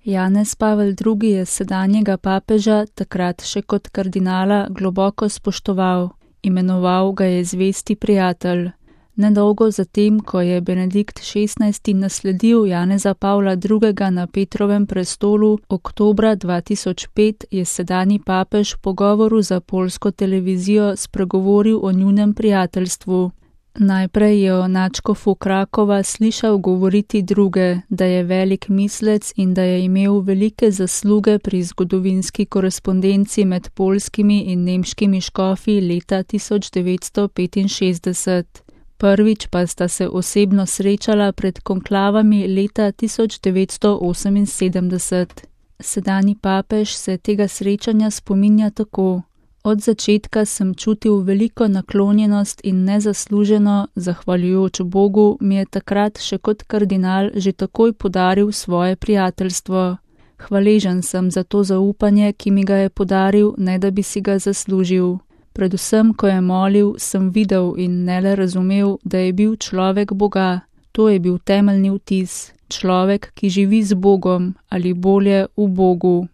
Janez Pavel II. Je sedanjega papeža, takrat še kot kardinala, globoko spoštoval. Imenoval ga je zvesti prijatelj. Nedolgo zatem, ko je Benedikt XVI. Nasledil Janeza Pavla II. Na Petrovem prestolu, oktobra 2005 je sedanji papež v pogovoru za poljsko televizijo spregovoril o njunem prijateljstvu. Najprej je o nadškofu Krakova slišal govoriti druge, da je velik mislec in da je imel velike zasluge pri zgodovinski korespondenci med poljskimi in nemškimi škofi leta 1965. Prvič pa sta se osebno srečala pred konklavami leta 1978. Sedanji papež se tega srečanja spominja tako: Od začetka sem čutil veliko naklonjenost in nezasluženo, zahvaljujoč Bogu, mi je takrat še kot kardinal že takoj podaril svoje prijateljstvo. Hvaležen sem za to zaupanje, ki mi ga je podaril, ne da bi si ga zaslužil. Predvsem, ko je molil, sem videl in ne le razumel, da je bil človek Boga. To je bil temeljni vtis. Človek, ki živi z Bogom ali bolje v Bogu.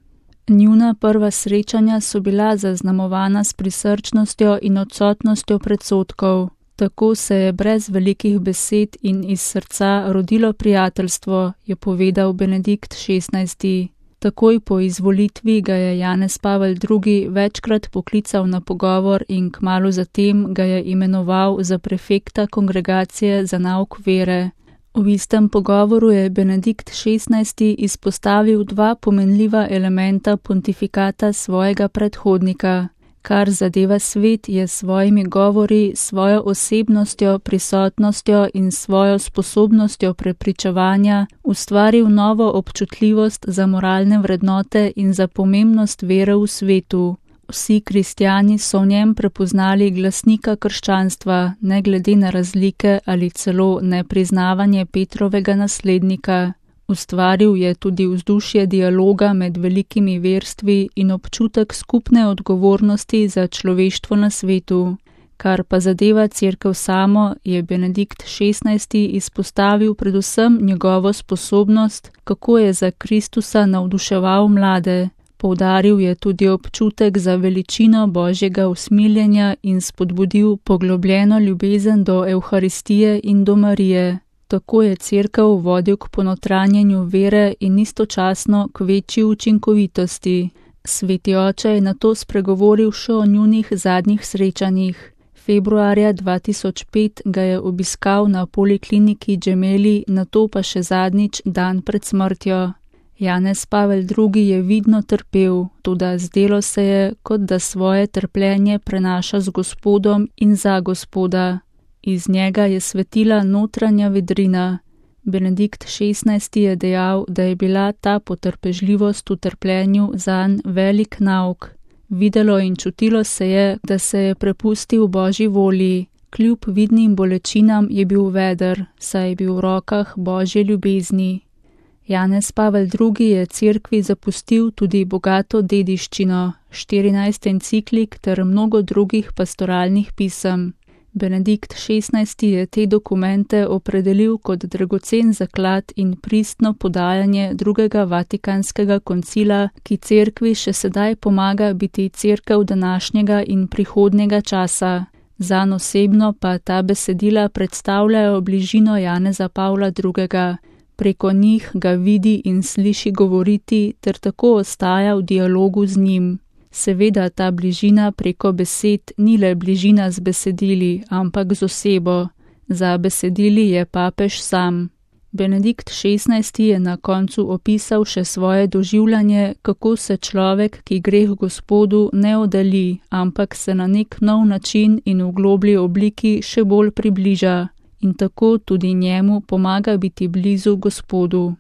Njuna prva srečanja so bila zaznamovana s prisrčnostjo in odsotnostjo predsodkov. Tako se je brez velikih besed in iz srca rodilo prijateljstvo, je povedal Benedikt XVI. Takoj po izvolitvi ga je Janez Pavel II. Večkrat poklical na pogovor in kmalu zatem ga je imenoval za prefekta kongregacije za nauk vere. V istem pogovoru je Benedikt XVI. Izpostavil dva pomenljiva elementa pontifikata svojega predhodnika. Kar zadeva svet, je s svojimi govori, svojo osebnostjo, prisotnostjo in svojo sposobnostjo prepričevanja ustvaril novo občutljivost za moralne vrednote in za pomembnost vere v svetu. Vsi kristjani so v njem prepoznali glasnika krščanstva, ne glede na razlike ali celo nepriznavanje Petrovega naslednika. Ustvaril je tudi vzdušje dialoga med velikimi verstvi in občutek skupne odgovornosti za človeštvo na svetu. Kar pa zadeva Cerkev samo, je Benedikt XVI. Izpostavil predvsem njegovo sposobnost, kako je za Kristusa navduševal mlade. Poudaril je tudi občutek za veličino Božjega usmiljenja in spodbudil poglobljeno ljubezen do Evharistije in do Marije. Tako je Cerkev vodil k ponotranjenju vere in istočasno k večji učinkovitosti. Sveti oče je nato spregovoril še o njunih zadnjih srečanjih. Februarja 2005 ga je obiskal na polikliniki Gemelli, nato pa še zadnjič dan pred smrtjo. Janez Pavel II. Je vidno trpel, toda zdelo se je, kot da svoje trpljenje prenaša z Gospodom in za Gospoda. Iz njega je svetila notranja vedrina. Benedikt XVI. Je dejal, da je bila ta potrpežljivost v trpljenju zanj velik nauk. Videlo in čutilo se je, da se je prepustil Božji volji. Kljub vidnim bolečinam je bil veder, saj je bil v rokah Božje ljubezni. Janez Pavel II. Je cerkvi zapustil tudi bogato dediščino, 14 enciklik ter mnogo drugih pastoralnih pisem. Benedikt XVI. Je te dokumente opredelil kot dragocen zaklad in pristno podajanje drugega vatikanskega koncila, ki cerkvi še sedaj pomaga biti cerkev današnjega in prihodnjega časa. Zanj osebno pa ta besedila predstavljajo bližino Janeza Pavla II. Preko njih ga vidi in sliši govoriti ter tako ostaja v dialogu z njim. Seveda ta bližina preko besed ni le bližina z besedili, ampak z osebo. Za besedili je papež sam. Benedikt XVI. Je na koncu opisal še svoje doživljanje, kako se človek, ki gre k Gospodu, ne oddalji, ampak se na nek nov način in v globlji obliki še bolj približa. In tako tudi njemu pomaga biti blizu Gospodu.